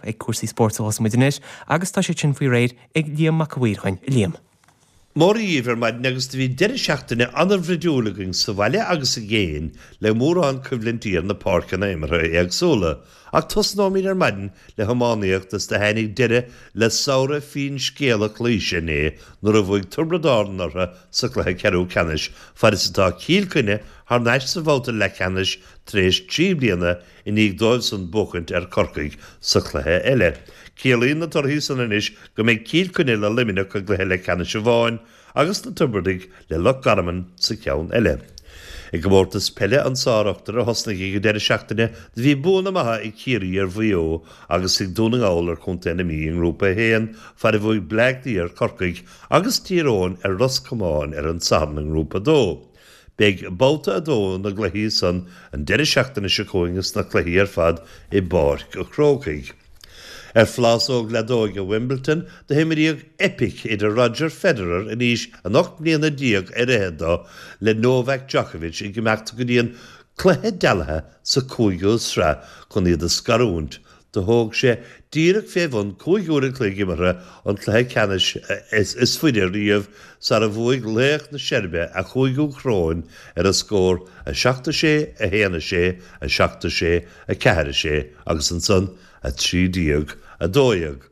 Ag cúrsaí spóirt a thosaíonn muid anois agus tá siad sin faoi réir ag Liam Mac a' Mhaoir chugainn. A Liam. Mora dhíbh ar maidin agus do bhí deireadh seachtaine an-bhruidiúil againn sa bhaile agus i gcéin le mórán coimhlintí ar na páirceanna imeartha éagsúla. Ach tosnóimid ar maidin le hiománaíocht is do tháinig deireadh le samhradh finscéalach Laoise inné nuair a bhuaigh Tiobraid Árann orthu sa chluiche ceathrú ceannais fad is atá Cill Chainnigh thar n-ais sa bhabhta leathcheannais tar éis 3 bliana i ndiaidh dóibhsan buachaint ar Chorcaigh sa chluiche eile. Ciallaíonn na torthaí san anois go mbeidh Cill Chainnigh le Luimneach i gcluiche leathcheannais amháin agus na Tiobradaigh le Loch Garman sa cheann eile. I gcomórtas peile an tSár-Ochtair a thosnaigh ag an deireadh seachtaine do bhí buanna maithe ag Ciarraí ar Mhaigh Eo agus ag Dún na nGall ar Chontae na Mí i nGrúpa 1 fad a bhuaigh Bleá Cliath ar Chorcaigh agus Tír Eoghain ar Ros Comáin ar an Satharn i nGrúpa 2. Beidh babhta 2 na gcluichí san an deireadh seachtaine seo chugainn is na cluichí ar fad i bPáirc a' Chrócaigh. Ar phlásóg leadóige Wimbledon do himríodh eipic idir Roger Federer in aois an 18 mbliana ar fhichead dó le Novak Djokovic ag imeacht go dtí an cluiche dealaithe sa cúigiú sraith chun iad a scarúint Do thóg sé díreach fé bhun 5 uair an chloig imeartha an cluiche ceannais is faide riamh sara bhuaigh laoch na Seirbe a chúigiú coróin ar an scór 7 6, 1 6, 7 6, 4 6 agus ansan 13 12.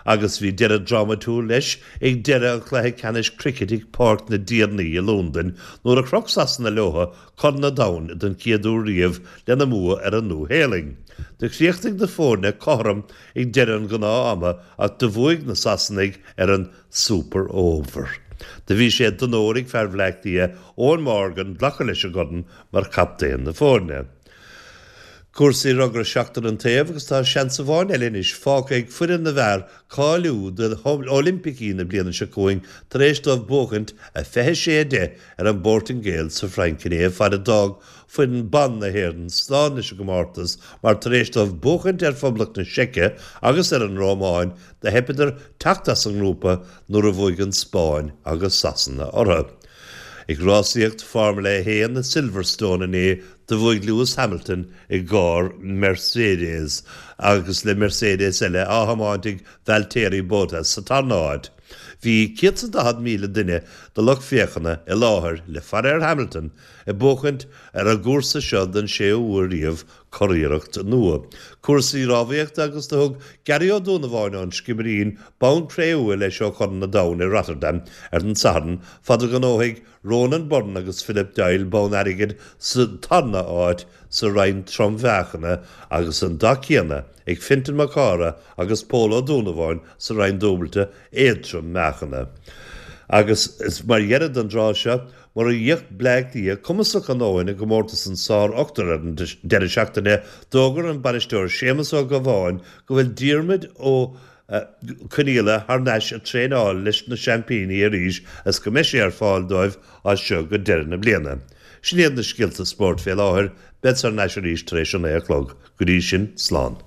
Agus bhí deireadh drámatúil leis ag deireadh an chluiche ceannais cruicit ag Páirc na dTiarnaí i Londain nuair a chroch Sasana leo Corn an Domhain den chéad uair riamh lena mbua ar an Nua-Shéalainn. Do chríochnaigh na foirne cothrom ag deireadh an ghnáth-ama ach do bhuaigh na Sasanaigh ar an Super Over. Do bhí sé d'onóir ag fear Bhleá Cliath, Eoin Morgan, glacadh leis an gcorn mar chaptaen na foirne. Cúrsaí rugbaí seachtar an taobh agus tá seans amháin eile anois fágtha ag foireann na bhfear cáiliú d'Oilimpicí na bliana seo chugainn tar éis dóibh buachaint 26, 10 ar an bPortaingéil sa Fhrainc inné fad a d'fhág foireann ban na hÉireann slán leis an gcomórtas mar tar éis dóibh buachaint ar Phoblacht na Seice agus ar an Rómáin do theipeadar teacht as an ngrúpa nuair a bhuaigh an Spáinn agus Sasana orthu. Ag rásaíocht Formula 1 i Silverstone inné do bhuaigh Lewis Hamilton i gcarr Mercedes agus le Mercedes eile á thiomáint ag Valtteri Bottas sa tarna háit. Bhí 140,000 duine de lucht féachana i láthair le faire ar Hamilton ag buachaint ar an gcúrsa seo den séú huair riamh curiarracht nua. Cúrsaí rámhaíochta agus do thug Gary Ó Dúnabháin ón Sciobairín bonn cré-umha leis ó Chorn an Domhain i Rotterdam ar an Satharn fad a ghnóthaigh Ronan Byrne agus Philip Doyle bonn airgid sa tarna háit sa roinn trom-mheáchana agus an dath céanna ag Fintan Mac Cártha agus Pól Ó Dúnabháin sa roinn dúbailte éadtrom-meáchana. Agus mar dheireadh don dtráth seo, Mura raibh Bleá Cliath cumasach a ndóthain i gcomórtas an tSár-Ochtair ar an deireadh seachtaine, d'fhógair an bainisteoir Séamus Ó Gabháin go bhfuil Diarmuid Ó Conaola thar n-ais ag traenáil leis na seaimpíní arís is go mbeidh sé ar fáil dóibh as seo go deireadh na bliana. Sin iad na scéalta spóirt fé láthair, beadsa thar n-ais arís tar éis a 9 a chlog. Go dtí sin, slán.